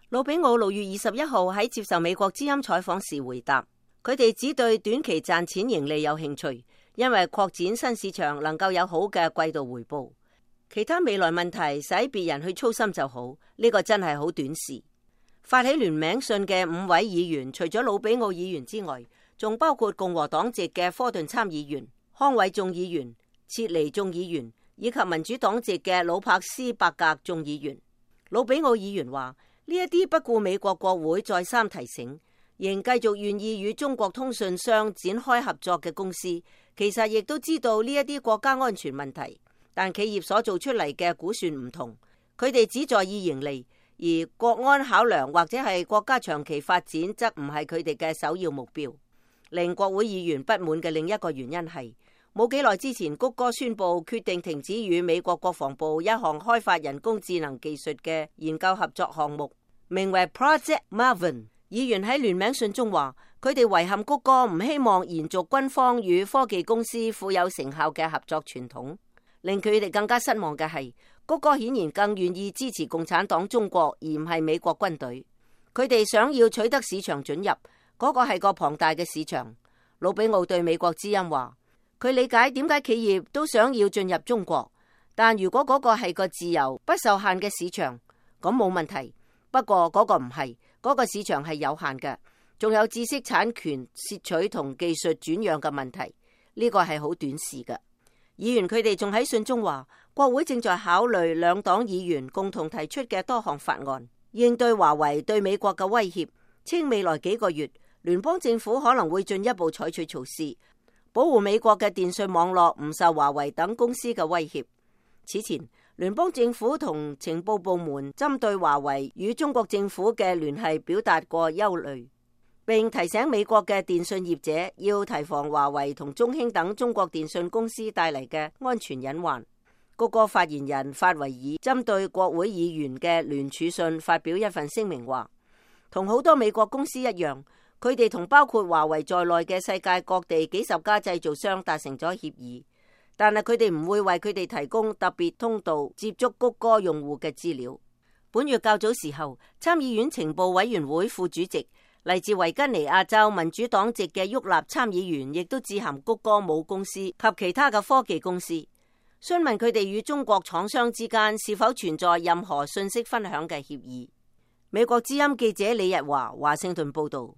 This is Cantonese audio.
魯比奧6月21號喺接受美國之音採訪時回答，佢哋只對短期賺錢盈利有興趣，因為擴展新市場能夠有好嘅季度回報。其他未來問題使別人去操心就好，呢個真係好短視。發起聯名信嘅5位議員，除咗魯比奧議員之外，仲包括共和黨籍嘅科頓參議員、康偉眾議員、切尼眾議員以及民主黨籍嘅魯柏斯伯格眾議員。魯比奧議員話：呢一啲不顧美國國會再三提醒，仍繼續願意與中國通訊商展開合作嘅公司，其實亦都知道呢一啲國家安全問題，但企業所做出嚟嘅估算唔同，佢哋只在意盈利，而國安考量或者係國家長期發展則唔係佢哋嘅首要目標。令國會議員不滿嘅另一個原因係，冇幾耐之前，谷歌宣布決定停止與美國國防部一項開發人工智能技術嘅研究合作項目，名為 Project Maven。議員喺聯名信中話，佢哋遺憾谷歌唔希望延續軍方與科技公司富有成效嘅合作傳統。令佢哋更加失望嘅係，谷歌顯然更願意支持共產黨中國，而唔係美國軍隊。佢哋想要取得市場准入，嗰個係個龐大嘅市場。魯比奧對美國之音話，佢理解點解企業都想要進入中國，但如果嗰個係個自由不受限嘅市場，咁冇問題。不過嗰個唔係，嗰個市場係有限嘅，仲有知識產權竊取同技術轉讓嘅問題，呢個係好短視嘅。議員佢哋仲喺信中話，國會正在考慮兩黨議員共同提出嘅多項法案，應對華為對美國嘅威脅，稱未來幾個月聯邦政府可能會進一步採取措施，保護美國嘅電信網絡唔受華為等公司嘅威脅。此前，聯邦政府同情報部門針對華為與中國政府嘅聯繫表達過憂慮，並提醒美國嘅電信業者要提防華為同中興等中國電信公司帶嚟嘅安全隱患。谷歌發言人法維爾針對國會議員嘅聯署信發表一份聲明話，同好多美國公司一樣，佢哋同包括華為在內嘅世界各地幾十家製造商達成咗協議，但係佢哋唔會為佢哋提供特別通道接觸谷歌用戶嘅資料。本月較早時候，參議院情報委員會副主席嚟自維吉尼亞州民主黨籍嘅沃納參議員亦都致函谷歌母公司及其他嘅科技公司，詢問佢哋與中國廠商之間是否存在任何信息分享嘅協議。美國之音記者李日華華盛頓報道。